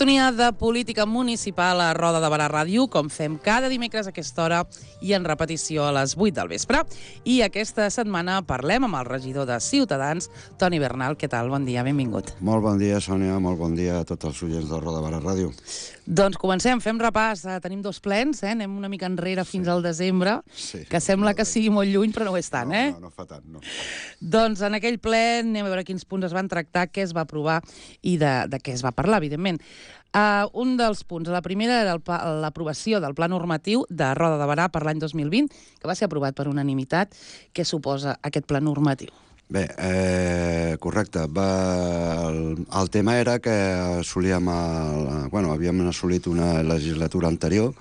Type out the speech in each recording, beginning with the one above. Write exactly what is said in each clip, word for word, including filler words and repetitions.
Sintonia de política municipal a Roda de Barà Ràdio, com fem cada dimecres a aquesta hora i en repetició a les vuit del vespre. I aquesta setmana parlem amb el regidor de Ciutadans, Toni Bernal. Què tal? Bon dia, benvingut. Molt bon dia, Sònia, molt bon dia a tots els oients de Roda de Barà Ràdio. Doncs comencem, fem repàs. Tenim dos plens, eh? Anem una mica enrere fins sí. al desembre, sí, que sembla que sigui molt lluny, però no ho és tant, no, eh? No, no fa tant, no. Doncs en aquell ple anem a veure quins punts es van tractar, què es va aprovar i de, de què es va parlar, evidentment. Uh, un dels punts, la primera era l'aprovació del Pla Normatiu de Roda de Barà per l'any dos mil vint, que va ser aprovat per unanimitat. Què suposa aquest Pla Normatiu? Bé, eh, correcte. Va, el, el tema era que assolíem el, bueno, havíem assolit una legislatura anterior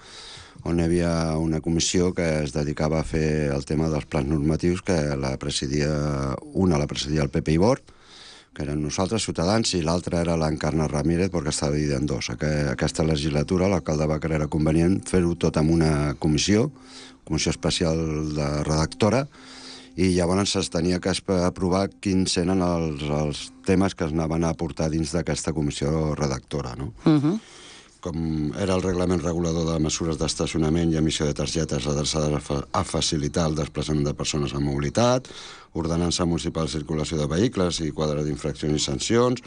on hi havia una comissió que es dedicava a fer el tema dels plans normatius, que la presidia, una la presidia el Pepe Ibor, que eren nosaltres, Ciutadans, i l'altra era l'Encarna Ramírez, perquè estava dividida en dos. Aquesta legislatura l'alcalde va creure convenient fer-ho tot amb una comissió, comissió especial de redactora, i llavors es tenia que aprovar quins eren els, els temes que es anaven a portar dins d'aquesta comissió redactora, no? Uh-huh. Com era el reglament regulador de mesures d'estacionament i emissió de targetes adreçades a, fa a facilitar el desplaçament de persones amb mobilitat, ordenança municipal de circulació de vehicles i quadre d'infraccions i sancions,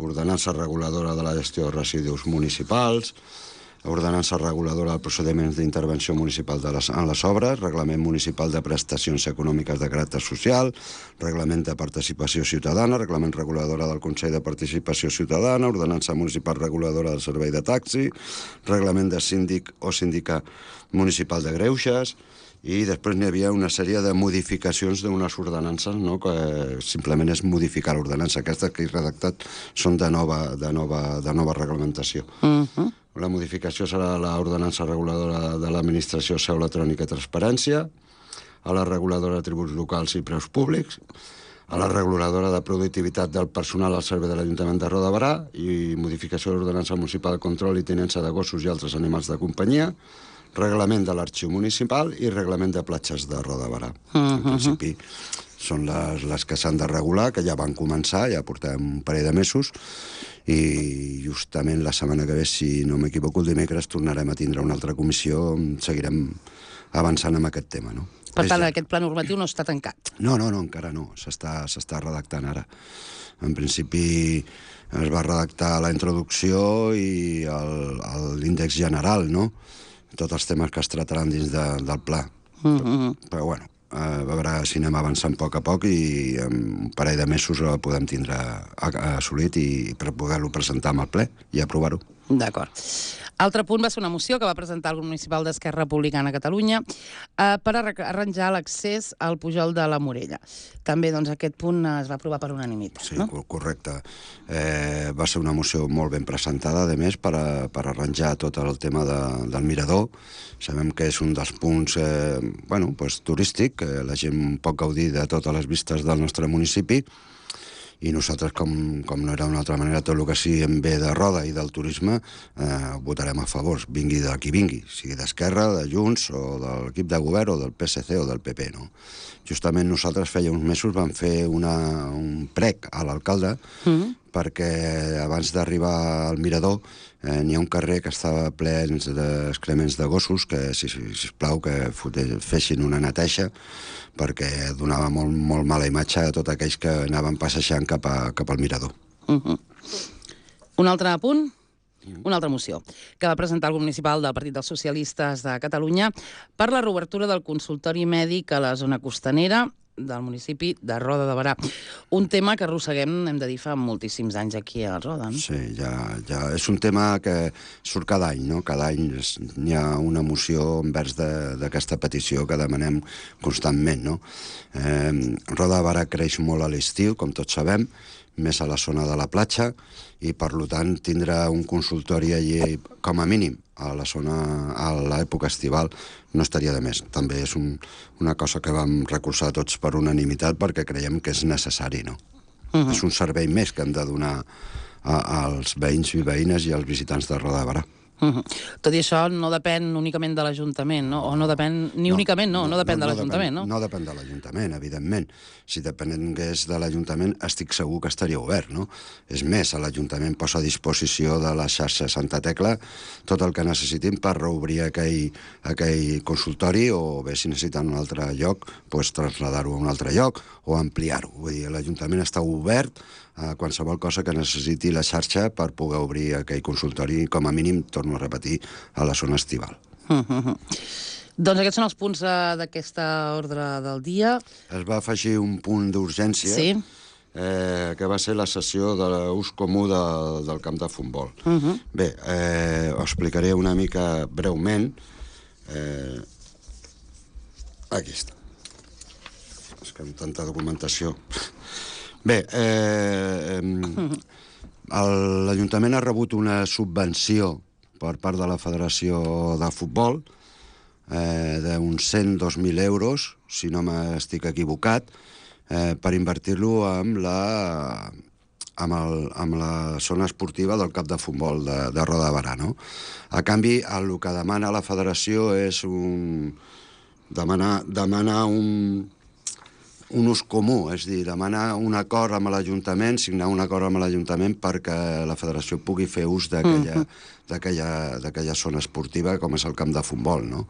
ordenança reguladora de la gestió de residus municipals, ordenança reguladora de procediments d'intervenció municipal de les, en les obres, reglament municipal de prestacions econòmiques de caràcter social, reglament de participació ciutadana, reglament reguladora del Consell de Participació Ciutadana, ordenança municipal reguladora del servei de taxi, reglament de síndic o síndica municipal de greuges, i després n'hi havia una sèrie de modificacions d'unes ordenances, no?, que simplement és modificar l'ordenança. Aquestes que he redactat són de nova, de nova, de nova reglamentació. Uh-huh. La modificació serà l'ordenança reguladora de l'Administració Seu Electrònica i Transparència, a la reguladora de tributs locals i preus públics, a la reguladora de productivitat del personal al servei de l'Ajuntament de Roda de Barà i modificació de l'ordenança municipal de control i tinença de gossos i altres animals de companyia, reglament de l'arxiu municipal i reglament de platges de Roda de Barà. Uh-huh. En principi són les, les que s'han de regular, que ja van començar, ja portem un parell de mesos, i justament la setmana que ve, si no m'equivoco, el dimecres tornarem a tindre una altra comissió, seguirem avançant amb aquest tema, no? Per tant, aquest pla normatiu no està tancat? No, no, no, encara no, s'està s'està redactant ara. En principi es va redactar la introducció i l'índex general, no?, tots els temes que es trataran dins de, del pla. Uh-huh. Però, bueno, a veure si anem avançant a poc a poc i en un parell de mesos el podem tindre assolit i per poder-lo presentar amb el ple i aprovar-ho. D'acord. Altre punt va ser una moció que va presentar el grup municipal d'Esquerra Republicana a Catalunya eh, per arranjar l'accés al Pujol de la Morella. També, doncs, aquest punt es va aprovar per unanimitat, sí, no? Sí, correcte. Eh, va ser una moció molt ben presentada, a més, per, a, per arranjar tot el tema de, del mirador. Sabem que és un dels punts eh, bueno, pues, turístic, que la gent pot gaudir de totes les vistes del nostre municipi, i nosaltres, com, com no era d'una altra manera, tot el que sigui en bé de Roda i del turisme, eh, votarem a favor, vingui de qui vingui, sigui d'Esquerra, de Junts, o de l'equip de govern, o del P S C, o del P P, no? Justament nosaltres feia uns mesos vam fer una, un prec a l'alcalde, mm-hmm, perquè abans d'arribar al mirador eh, n'hi ha un carrer que estava ple d'excrements de gossos, que, si, si, sisplau, que fessin una neteja, perquè donava molt, molt mala imatge a tots aquells que anaven passejant cap, a, cap al mirador. Uh-huh. Un altre punt? Una altra moció que va presentar el grup municipal del Partit dels Socialistes de Catalunya per la reobertura del consultori mèdic a la zona costanera del municipi de Roda de Barà. Un tema que arrosseguem, hem de dir, fa moltíssims anys aquí a Roda, no? Sí, ja, ja és un tema que surt cada any, no? Cada any n'hi ha una moció envers d'aquesta petició que demanem constantment, no? Eh, Roda de Barà creix molt a l'estiu, com tots sabem, més a la zona de la platja, i per tant tindrà un consultori allí com a mínim a la zona, a l'època estival, no estaria de més. També és un, una cosa que vam recolzar tots per unanimitat perquè creiem que és necessari, no? Uh-huh. És un servei més que hem de donar a, als veïns i veïnes i als visitants de Roda de Barà. Uh-huh. Tot i això no depèn únicament de l'Ajuntament, no? O no depèn, ni no, únicament, no, no, no depèn no, de l'Ajuntament, no? No depèn de l'Ajuntament, evidentment. Si depengués de l'Ajuntament, estic segur que estaria obert, no? És més, l'Ajuntament posa a disposició de la xarxa Santa Tecla tot el que necessitin per reobrir aquell, aquell consultori, o bé, si necessiten un altre lloc, doncs traslladar-ho a un altre lloc o ampliar-ho. Vull dir, l'Ajuntament està obert a qualsevol cosa que necessiti la xarxa per poder obrir aquell consultori, com a mínim, torno a repetir, a la zona estival. Uh -huh. Doncs aquests són els punts uh, d'aquesta ordre del dia. Es va afegir un punt d'urgència, sí. eh, que va ser la sessió de l'ús comú de, del camp de futbol. Uh -huh. Bé, eh, ho explicaré una mica breument. Eh, aquí està. És que amb tanta documentació... Bé, eh, l'Ajuntament ha rebut una subvenció per part de la Federació de Futbol eh, d'uns cent dos mil euros, si no m'estic equivocat, eh, per invertir-lo amb la, amb, el, amb la zona esportiva del camp de futbol de, de Roda de Berà, no? A canvi, el que demana la Federació és un... demanar, demanar un... un ús comú, és a dir, demanar un acord amb l'Ajuntament, signar un acord amb l'Ajuntament perquè la Federació pugui fer ús d'aquella uh -huh. d'aquella zona esportiva com és el camp de futbol, no?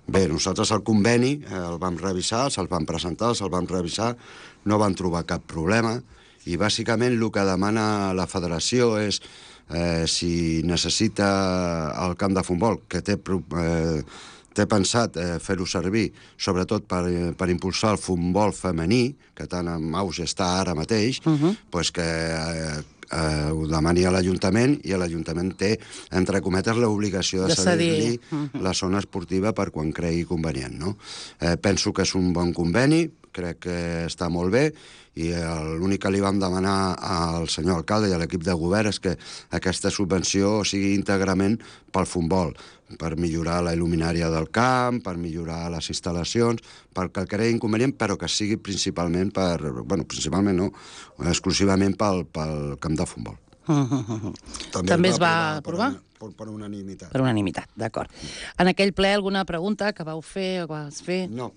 Bé, nosaltres el conveni el vam revisar, se'l vam presentar, se'l vam revisar, no vam trobar cap problema i bàsicament el que demana la Federació és eh, si necessita el camp de futbol, que té... Eh, té pensat eh, fer-ho servir, sobretot per, eh, per impulsar el futbol femení, que tan en auge està ara mateix, uh -huh. pues que eh, eh, ho demani a l'Ajuntament, i l'Ajuntament té, entre cometes, l'obligació de, de cedir-li uh -huh. la zona esportiva per quan cregui convenient, no? Eh, penso que és un bon conveni, crec que està molt bé, i l'únic que li vam demanar al senyor alcalde i a l'equip de govern és que aquesta subvenció sigui íntegrament pel futbol, per millorar la il·luminària del camp, per millorar les instal·lacions, perquè el creï convenient, però que sigui principalment per... Bueno, principalment no, exclusivament pel, pel camp de futbol. Uh -huh. També, També es va aprovar? Per, per unanimitat. Per unanimitat, d'acord. En aquell ple, alguna pregunta que vau fer o que vas fer? No.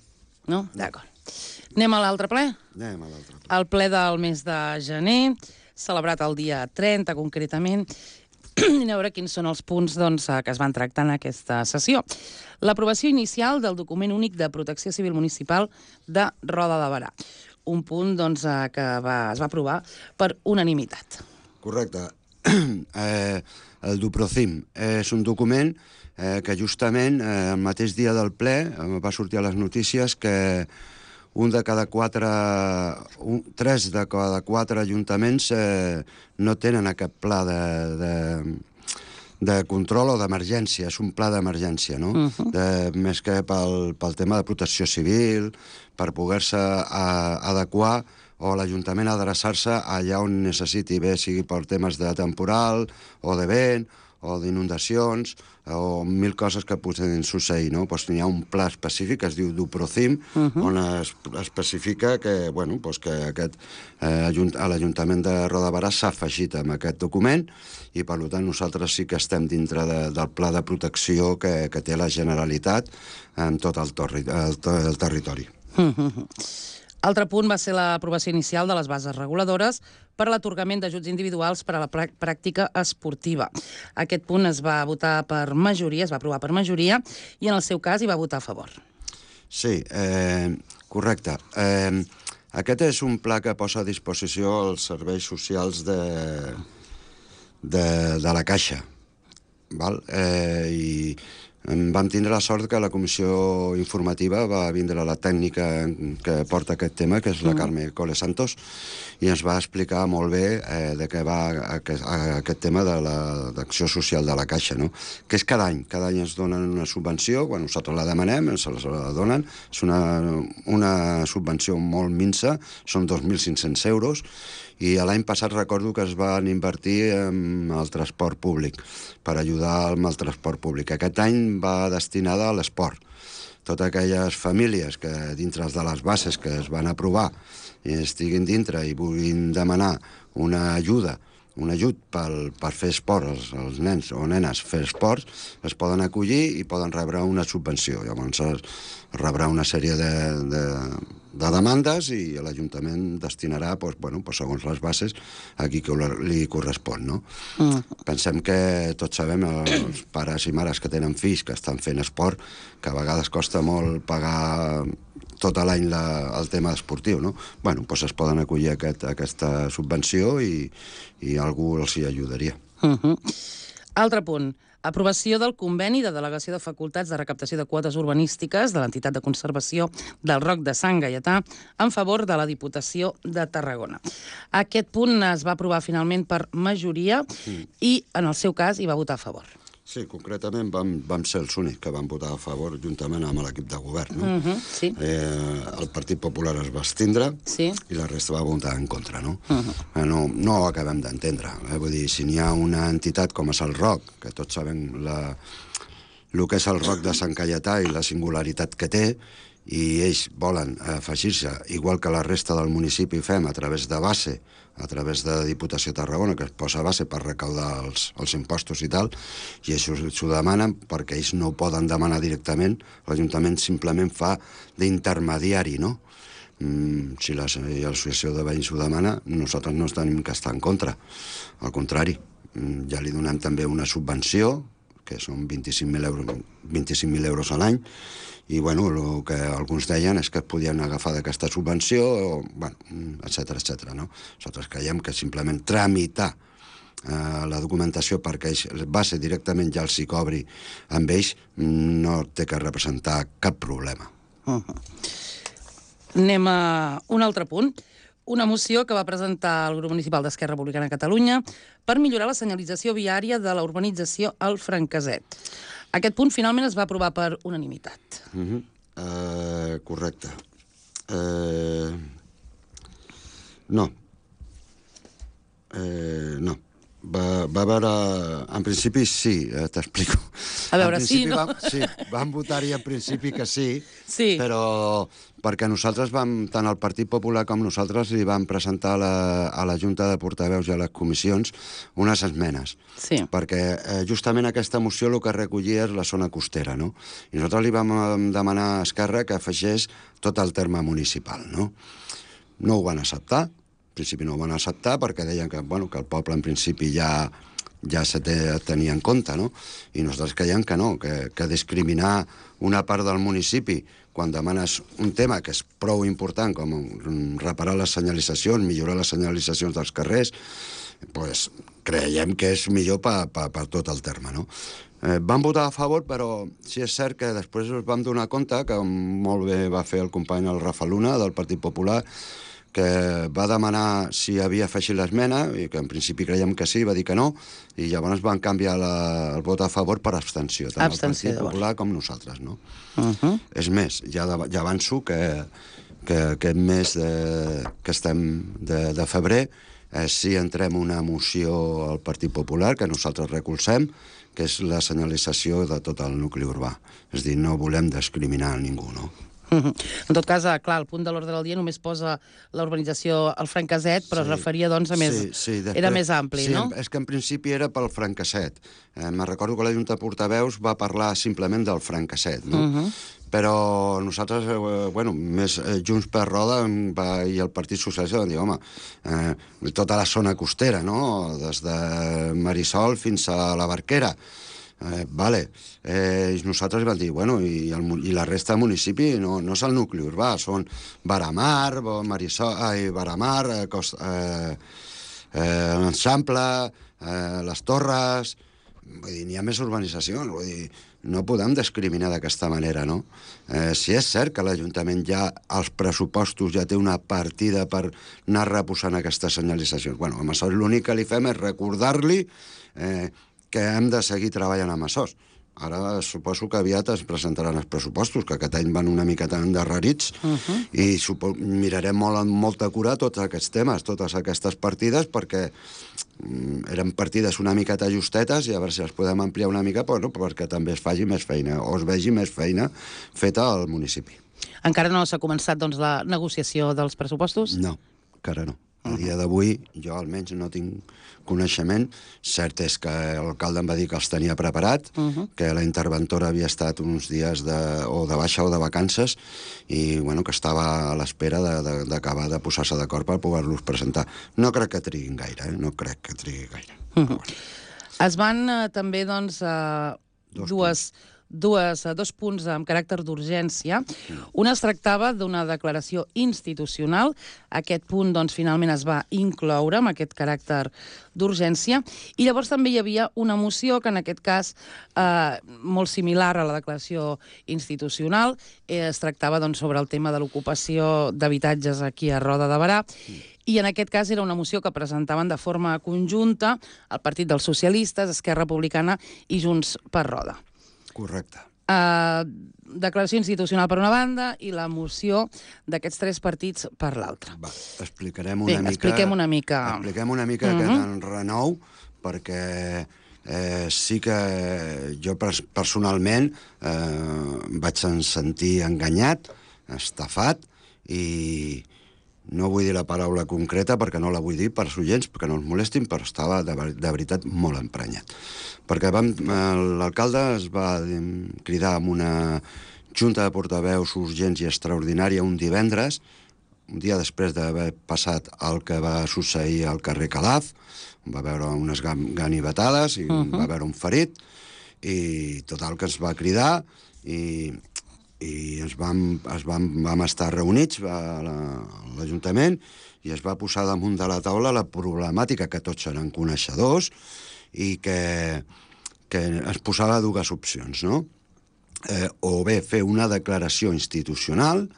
No? D'acord. Anem a l'altre ple? Anem a l'altre ple. El ple del mes de gener, celebrat el dia trenta, concretament, i a veure quins són els punts doncs, que es van tractar en aquesta sessió. L'aprovació inicial del document únic de protecció civil municipal de Roda de Berà. Un punt doncs, que va, es va aprovar per unanimitat. Correcte. eh, el DUPROCIM és un document eh, que justament eh, el mateix dia del ple eh, va sortir a les notícies que un de cada quatre, un, tres de cada quatre ajuntaments eh, no tenen aquest pla de, de, de control o d'emergència. És un pla d'emergència, no? Uh -huh. de, més que pel, pel tema de protecció civil, per poder-se adequar, o l'Ajuntament adreçar-se allà on necessiti, bé sigui per temes de temporal, o de vent, o d'inundacions, o mil coses que poden succeir, no? Pues n'hi ha un pla específic que es diu DUPROCIM, uh -huh. on es especifica que, bueno, pues que aquest, eh, l'Ajuntament de Roda de Berà s'ha afegit amb aquest document, i per tant nosaltres sí que estem dintre de, del pla de protecció que, que té la Generalitat en tot el, torri, el, el territori. Uh -huh. Altre punt va ser l'aprovació inicial de les bases reguladores per a l'atorgament d'ajuts individuals per a la pràctica esportiva. Aquest punt es va votar per majoria, es va aprovar per majoria, i en el seu cas hi va votar a favor. Sí, eh, correcte. Eh, aquest és un pla que posa a disposició els serveis socials de, de, de la Caixa. Val? Eh, I vam tindre la sort que la comissió informativa va vindre la tècnica que porta aquest tema, que és la Carme Cole Santos, i ens va explicar molt bé eh, de què va aquest, aquest tema de l'acció social de la Caixa, no? Que és cada any. Cada any ens donen una subvenció, quan nosaltres la demanem, ens la donen. És una, una subvenció molt minsa, són dos mil cinc-cents euros, i l'any passat recordo que es van invertir en el transport públic, per ajudar amb el transport públic. Aquest any va destinada a l'esport. Totes aquelles famílies que dintre de les bases que es van aprovar i estiguin dintre i vulguin demanar una ajuda un ajut per, per fer esport, els, els nens o nenes fer esports, es poden acollir i poden rebre una subvenció. Llavors es rebrà una sèrie de, de, de demandes i l'Ajuntament destinarà, doncs, bueno, doncs, segons les bases, a qui li correspon. No? Mm. Pensem que tots sabem, els pares i mares que tenen fills que estan fent esport, que a vegades costa molt pagar tot l'any el tema esportiu, no? Bueno, doncs es poden acollir a aquest, a aquesta subvenció i, i algú els hi ajudaria. Uh -huh. Altre punt. Aprovació del conveni de delegació de facultats de recaptació de quotes urbanístiques de l'entitat de conservació del Roc de Sant Gaietà en favor de la Diputació de Tarragona. Aquest punt es va aprovar finalment per majoria mm. i, en el seu cas, hi va votar a favor. Sí, concretament vam, vam ser els únics que van votar a favor juntament amb l'equip de govern. No? Uh -huh, sí. eh, el Partit Popular es va abstindre sí. i la resta va votar en contra. No, uh -huh. no, no ho acabem d'entendre. Eh? Vull dir, si n'hi ha una entitat com és el Roc, que tots sabem la, el que és el Roc de Sant Gaietà i la singularitat que té, i ells volen afegir-se, igual que la resta del municipi fem, a través de base, a través de Diputació de Tarragona, que es posa a base per recaudar els, els impostos i tal, i això s'ho demanen perquè ells no ho poden demanar directament, l'Ajuntament simplement fa d'intermediari, no? Mm, si l'Associació de Veïns ho demana, nosaltres no tenim que estar en contra. Al contrari, mm, ja li donem també una subvenció, que són vint-i-cinc mil euros, vint-i-cinc mil euros a l'any, i bueno, el que alguns deien és que es podien agafar d'aquesta subvenció, o, bueno, etcètera, etcètera, no? Nosaltres creiem que simplement tramitar eh, la documentació perquè ells, va ser directament ja els hi cobri amb ells, no té que representar cap problema. Uh -huh. Anem a un altre punt. Una moció que va presentar el grup municipal d'Esquerra Republicana de Catalunya per millorar la senyalització viària de la urbanització El Franqueset. Aquest punt finalment es va aprovar per unanimitat. Uh-huh. uh, correcte. Uh, no. Uh, no. Va, va veure... En principi sí, eh, t'explico. A veure, sí, no? Vam, sí, vam votar-hi en principi que sí, sí, però perquè nosaltres vam, tant el Partit Popular com nosaltres, li vam presentar a la, a la Junta de Portaveus i a les comissions unes esmenes. Sí. Perquè eh, justament aquesta moció el que recollia és la zona costera, no? I nosaltres li vam demanar a Esquerra que afegeix tot el terme municipal, no? No ho van acceptar. En principi no ho van acceptar perquè deien que, bueno, que el poble en principi ja, ja se té, tenia en compte, no? I nosaltres creiem que no, que, que discriminar una part del municipi quan demanes un tema que és prou important com reparar les senyalitzacions, millorar les senyalitzacions dels carrers, pues, creiem que és millor per pa, pa, pa tot el terme, no? Eh, vam votar a favor, però sí és cert que després ens vam donar compte que molt bé va fer el company el Rafa Luna del Partit Popular, que va demanar si havia afegit l'esmena, i que en principi creiem que sí, va dir que no, i llavors van canviar la, el vot a favor per abstenció, tant abstenció, el Partit Popular com nosaltres, no? Uh -huh. És més, ja, de, ja avanço que, que aquest mes de, que estem de, de febrer eh, sí entrem una moció al Partit Popular que nosaltres recolzem, que és la senyalització de tot el nucli urbà. És a dir, no volem discriminar a ningú, no? En tot cas, clar, el punt de l'ordre del dia només posa la urbanització al Franqueset, però sí, es referia, doncs, a més... Sí, sí, després, era més ampli, sí, no? És que en principi era pel Franqueset. Eh, me'n recordo que la Junta de Portaveus va parlar simplement del Franqueset, no? Uh -huh. Però nosaltres, eh, bueno, més eh, Junts per Roda va, i el Partit Socialista van dir, home, eh, tota la zona costera, no?, des de Marisol fins a la Barquera. Eh, vale. Eh, nosaltres vam dir, bueno, i, el, i la resta del municipi no, no és el nucli urbà, són Baramar, Marisol, ai, Baramar, eh, Cost, eh, eh, l'Enxample, eh, les Torres... Vull dir, n'hi ha més urbanitzacions, vull dir, no podem discriminar d'aquesta manera, no? Eh, si és cert que l'Ajuntament ja, als pressupostos, ja té una partida per anar reposant aquestes senyalitzacions. Bueno, amb això l'únic que li fem és recordar-li eh, que hem de seguir treballant amb això. Ara suposo que aviat es presentaran els pressupostos, que aquest any van una miqueta endarrerits, uh -huh. i mirarem molt amb molta cura tots aquests temes, totes aquestes partides, perquè mm, eren partides una miqueta justetes, i a veure si les podem ampliar una mica, però no, perquè també es faci més feina, o es vegi més feina feta al municipi. Encara no s'ha començat, doncs, la negociació dels pressupostos? No, encara no. A dia d'avui, jo almenys no tinc coneixement. Cert és que l'alcalde em va dir que els tenia preparat, uh -huh. que la interventora havia estat uns dies de, o de baixa o de vacances i bueno, que estava a l'espera d'acabar de, de, de posar-se d'acord per poder-los presentar. No crec que triguin gaire, eh? No crec que trigui gaire. Uh -huh. Bueno. Es van eh, també, doncs, eh, Dos dues... punts. Dues, dos punts amb caràcter d'urgència. Un es tractava d'una declaració institucional. Aquest punt, doncs, finalment es va incloure amb aquest caràcter d'urgència. I llavors també hi havia una moció que, en aquest cas, eh, molt similar a la declaració institucional, eh, es tractava, doncs, sobre el tema de l'ocupació d'habitatges aquí a Roda de Berà. I en aquest cas era una moció que presentaven de forma conjunta el Partit dels Socialistes, Esquerra Republicana i Junts per Roda. Correcte. Uh, declaració institucional per una banda i la moció d'aquests tres partits per l'altra. Va, explicarem una Bé, mica... expliquem una mica... Expliquem una mica uh -huh. aquest renou, perquè eh, sí que jo personalment eh, vaig sentir enganyat, estafat, i no vull dir la paraula concreta perquè no la vull dir per oients, perquè no els molestin, però estava de, de veritat molt emprenyat. Perquè l'alcalde es va cridar amb una junta de portaveus urgents i extraordinària un divendres, un dia després d'haver passat el que va succeir al carrer Calaf, va veure unes ganivetades i uh -huh. va veure un ferit, i total que ens va cridar i... i ens vam, es vam, vam estar reunits a l'Ajuntament i es va posar damunt de la taula la problemàtica que tots eren coneixedors i que, que es posava dues opcions, no? Eh, o bé fer una declaració institucional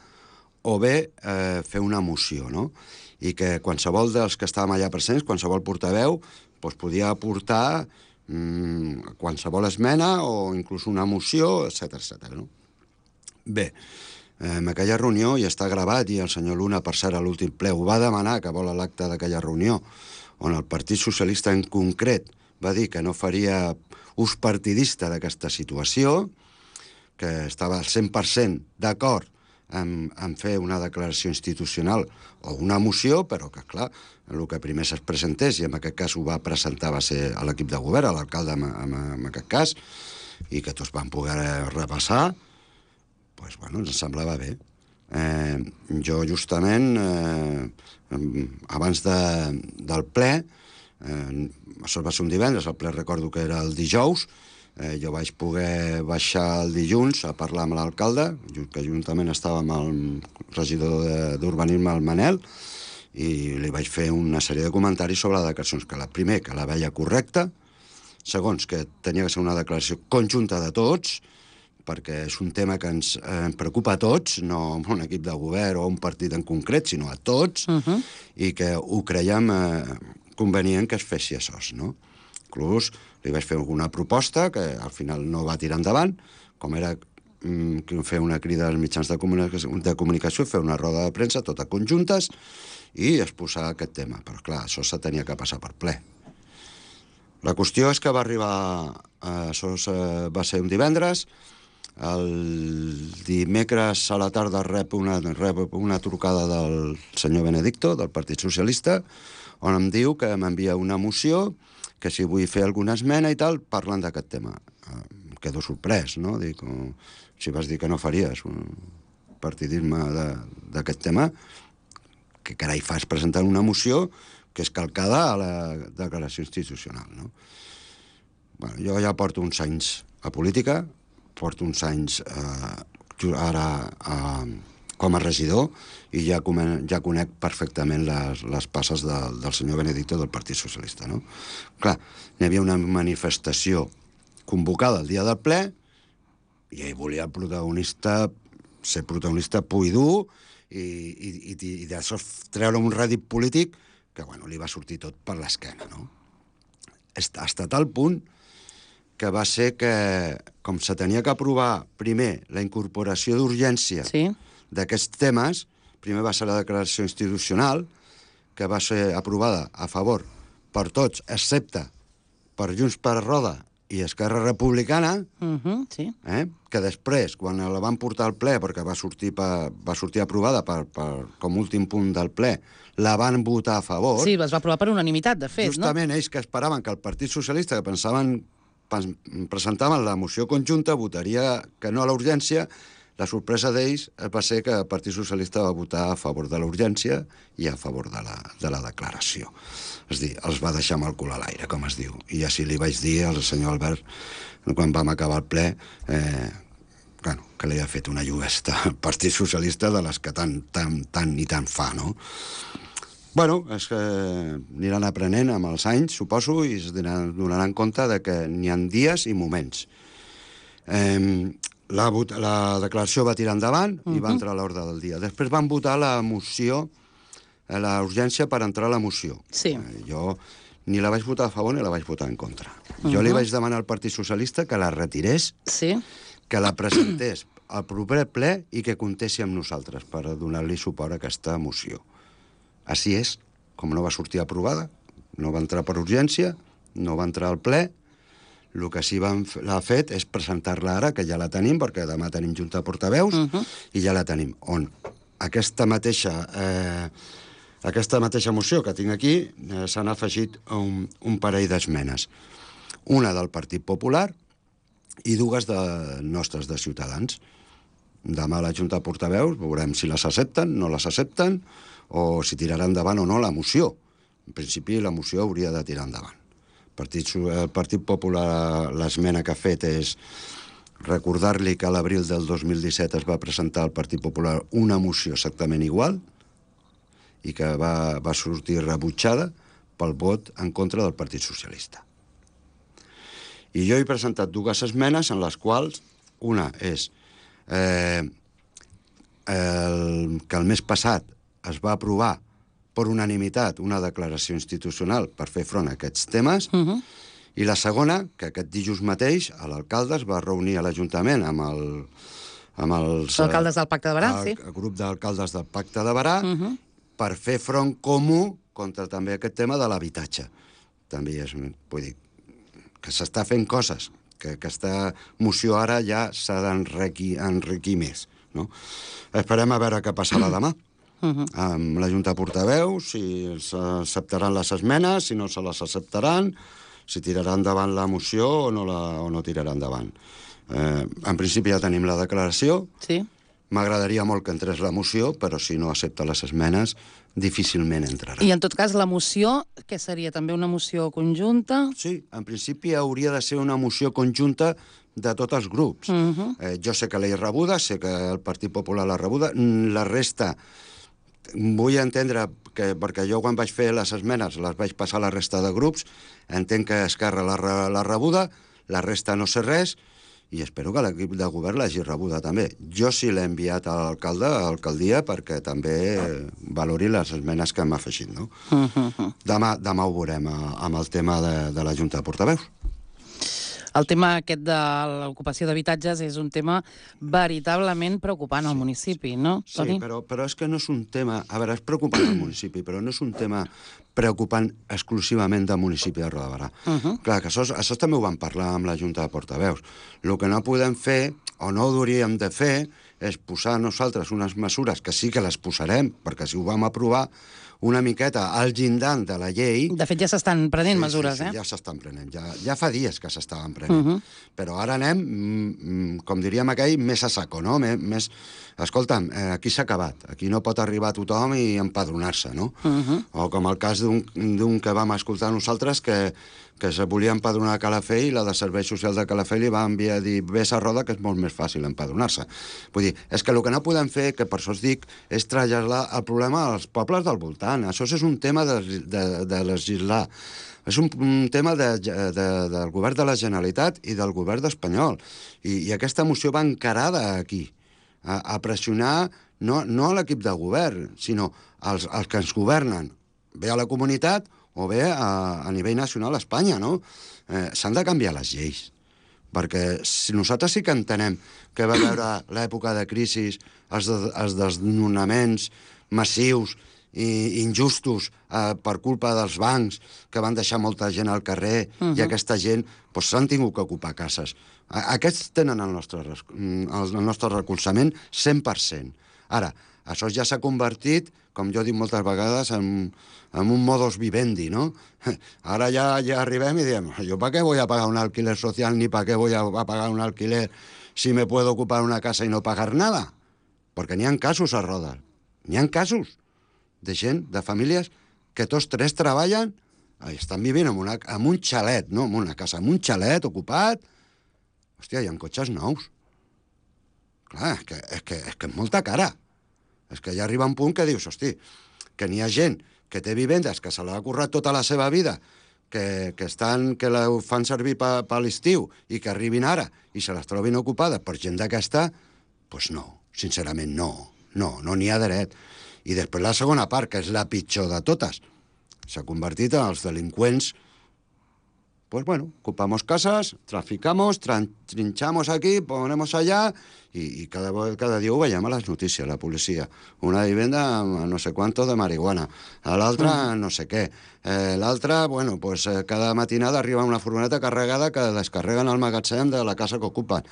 o bé eh, fer una moció, no? I que qualsevol dels que estàvem allà presents, qualsevol portaveu, doncs podia aportar mmm, qualsevol esmena o inclús una moció, etcètera, etcètera, no? Bé, en aquella reunió, i està gravat, i el senyor Luna, per cert, a l'últim ple, ho va demanar, que vol l'acte d'aquella reunió, on el Partit Socialista en concret va dir que no faria ús partidista d'aquesta situació, que estava al cent per cent d'acord en, en fer una declaració institucional o una moció, però que, clar, el que primer es presentés, i en aquest cas ho va presentar, va ser a l'equip de govern, a l'alcalde en, en, en aquest cas, i que tots van poder repassar, doncs, bueno, ens semblava bé. Eh, jo, justament, eh, abans de, del ple, eh, això va ser un divendres, el ple recordo que era el dijous, eh, jo vaig poder baixar el dilluns a parlar amb l'alcalde, que juntament estava amb el regidor d'Urbanisme, el Manel, i li vaig fer una sèrie de comentaris sobre les declaracions, que la primer, que la veia correcta, segons, que tenia que ser una declaració conjunta de tots, perquè és un tema que ens eh, preocupa a tots, no a un equip de govern o a un partit en concret, sinó a tots, uh -huh. i que ho creiem eh, convenient que es fessi això, no? Inclús li vaig fer alguna proposta que al final no va tirar endavant, com era mm, fer una crida als mitjans de comunicació, de comunicació, fer una roda de premsa, totes conjuntes, i exposar aquest tema. Però, clar, això se tenia que passar per ple. La qüestió és que va arribar... Eh, això va ser un divendres. El dimecres a la tarda rep una, rep una trucada del senyor Benedicto, del Partit Socialista, on em diu que m'envia una moció, que si vull fer alguna esmena i tal, parlant d'aquest tema. Em quedo sorprès, no? Dic, oh, si vas dir que no faries un partidisme d'aquest tema, que carai fas presentant una moció que és calcada a la declaració institucional, no? Bueno, jo ja porto uns anys a política, porto uns anys eh, ara eh, com a regidor i ja, ja conec perfectament les, les passes de, del senyor Benedicto del Partit Socialista, no? Clar, hi havia una manifestació convocada el dia del ple i ell volia el protagonista, ser protagonista pur i dur i, i, i, i d'això treure un rèdit polític que, bueno, li va sortir tot per l'esquena, no? Hasta tal punt que va ser que, com se tenia que aprovar primer la incorporació d'urgència sí. d'aquests temes, primer va ser la declaració institucional, que va ser aprovada a favor per tots, excepte per Junts per Roda i Esquerra Republicana, Uh -huh, sí. eh, que després, quan la van portar al ple, perquè va sortir, pa, va sortir aprovada per, per, com últim punt del ple, la van votar a favor. Sí, es va aprovar per unanimitat, de fet, Justament no? ells que esperaven que el Partit Socialista, que pensaven, presentaven la moció conjunta, votaria que no a la urgència. La sorpresa d'ells va ser que el Partit Socialista va votar a favor de la urgència i a favor de la, de la declaració. És dir, els va deixar amb el cul a l'aire, com es diu. I així li vaig dir al senyor Albert, quan vam acabar el ple, eh, bueno, que li havia fet una lluvesta al Partit Socialista de les que tant, tant, tant i tant fa, no? Bueno, és que aniran aprenent amb els anys, suposo, i es donaran compte de que n'hi ha dies i moments. Eh, la, la declaració va tirar endavant uh -huh. i va entrar a l'ordre del dia. Després van votar la moció, la urgència per entrar a la moció. Sí. Eh, jo ni la vaig votar a favor ni la vaig votar en contra. Uh -huh. Jo li vaig demanar al Partit Socialista que la retirés, sí. que la presentés al proper ple i que comptessi amb nosaltres per donar-li suport a aquesta moció. Així és, com no va sortir aprovada, no va entrar per urgència, no va entrar al ple, el que sí van, l'ha fet és presentar-la ara, que ja la tenim, perquè demà tenim junta de portaveus, uh -huh. i ja la tenim, on aquesta mateixa, eh, aquesta mateixa moció que tinc aquí eh, s'han afegit un, un parell d'esmenes. Una del Partit Popular i dues de nostres, de Ciutadans. Demà a la junta de portaveus veurem si les accepten, no les accepten, o si tiraran endavant o no la moció. En principi, la moció hauria de tirar endavant. El Partit, el Partit Popular, l'esmena que ha fet és recordar-li que a l'abril del dos mil disset es va presentar al Partit Popular una moció exactament igual i que va, va sortir rebutjada pel vot en contra del Partit Socialista. I jo he presentat dues esmenes en les quals una és eh, el, que el mes passat es va aprovar per unanimitat una declaració institucional per fer front a aquests temes, uh -huh. i la segona, que aquest dijous mateix l'alcalde es va reunir a l'Ajuntament amb, el, amb els... alcaldes del Pacte de Barà, el, sí. El grup d'alcaldes del Pacte de Barà, uh -huh. per fer front comú contra també aquest tema de l'habitatge. També és, vull dir, que s'està fent coses, que aquesta moció ara ja s'ha d'enriquir més, no? Esperem a veure què passarà demà. Uh -huh. Amb la Junta de Portaveus, si s'acceptaran les esmenes, si no se les acceptaran, si tiraran endavant la moció o no, la, o no tiraran endavant. Eh, en principi ja tenim la declaració. Sí. M'agradaria molt que entrés la moció, però si no accepta les esmenes, difícilment entrarà. I en tot cas, la moció, què seria? També una moció conjunta? Sí, en principi hauria de ser una moció conjunta de tots els grups. Uh -huh. eh, jo sé que l'he rebuda, sé que el Partit Popular l'ha rebuda, la resta... Vull entendre que, perquè jo quan vaig fer les esmenes les vaig passar a la resta de grups, entenc que Esquerra l'ha rebuda, la resta no sé res, i espero que l'equip de govern l'hagi rebuda també. Jo sí l'he enviat a l'alcalde, a l'alcaldia, perquè també valori les esmenes que hem afegit, no? Uh -huh. Demà, demà ho veurem amb el tema de, de la Junta de Portaveus. El tema aquest de l'ocupació d'habitatges és un tema veritablement preocupant al sí, municipi, no, Toni? Sí, però, però és que no és un tema... A veure, és preocupant al municipi, però no és un tema preocupant exclusivament del municipi de Roda de Barà. Uh -huh. Clar, que això, això també ho vam parlar amb la Junta de Portaveus. El que no podem fer, o no hauríem de fer, és posar nosaltres unes mesures, que sí que les posarem, perquè si ho vam aprovar, una miqueta al llindant de la llei... De fet, ja s'estan prenent sí, mesures, sí, sí, eh? ja s'estan prenent. Ja, ja fa dies que s'estaven prenent. Uh -huh. Però ara anem, mm, com diríem aquell, més a saco, no? Més... Escolta'm, eh, aquí s'ha acabat. Aquí no pot arribar tothom i empadronar-se, no? Uh -huh. O com el cas d'un que vam escoltar nosaltres que, que se volia empadronar a Calafell i la de Serveis Socials de Calafell li va enviar a dir vés a Roda, que és molt més fàcil empadronar-se. Vull dir, és que el que no podem fer, que per això us dic, és traslladar el problema als pobles del voltant. Això és un tema de, de, de legislar. És un, un tema de, de, del govern de la Generalitat i del govern espanyol. I, i aquesta moció va encarada aquí, a, a pressionar no, no a l'equip de govern, sinó als, als que ens governen, bé a la comunitat o bé a, a nivell nacional a Espanya, no? Eh, s'han de canviar les lleis, perquè si nosaltres sí que entenem que va haver l'època de crisi, els, de, els desnonaments massius i injustos eh, per culpa dels bancs que van deixar molta gent al carrer uh -huh. i aquesta gent doncs, s'han tingut que ocupar cases. Aquests tenen el nostre, el nostre recolzament cent per cent. Ara, això ja s'ha convertit, com jo dic moltes vegades, en, en un modus vivendi, ¿no? Ara ja, ja arribem i diem, ¿yo para qué voy a pagar un alquiler social ni para qué voy a, a pagar un alquiler si me puedo ocupar una casa y no pagar nada? Perquè n'hi ha casos a Roda, n'hi ha casos de gent, de famílies, que tots tres treballen i estan vivint en, una, en un xalet, no? En una casa, en un xalet ocupat. Hòstia, hi ha cotxes nous. Clar, és que és, que, és, que és molta cara. És que ja arriba un punt que dius, hosti, que n'hi ha gent que té vivendes, que se l'ha currat tota la seva vida, que, que, estan, que la fan servir per pa l'estiu i que arribin ara i se les trobin ocupades per gent d'aquesta, doncs no, sincerament no, no, no n'hi ha dret. I després la segona part, que és la pitjor de totes, s'ha convertit en els delinqüents. Pues bueno, ocupamos casas, traficamos, trinchamos aquí, ponemos allá, y, y cada, cada dia ho veiem a les notícies, la policia. Una vivenda amb no sé quanto de marihuana, a l'altra no sé què. Eh, l'altra, bueno, pues eh, cada matinada arriba una furgoneta carregada que descarreguen al magatzem de la casa que ocupen.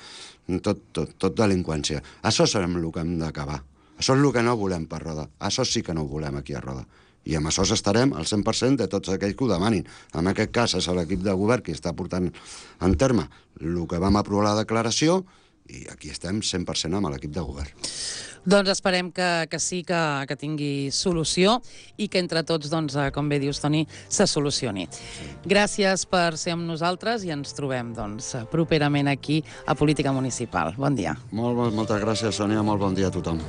Tot, tot, tot delinqüència. Això és el que hem d'acabar. Això és el que no volem per Roda. Això sí que no ho volem aquí a Roda. I amb això estarem al cent per cent de tots aquells que ho demanin. En aquest cas és l'equip de govern que està portant en terme el que vam aprovar la declaració i aquí estem cent per cent amb l'equip de govern. Doncs esperem que, que sí, que, que tingui solució i que entre tots, doncs, com bé dius, Toni, se solucioni. Gràcies per ser amb nosaltres i ens trobem doncs, properament aquí a Política Municipal. Bon dia. Molt, moltes gràcies, Sònia. Molt bon dia a tothom.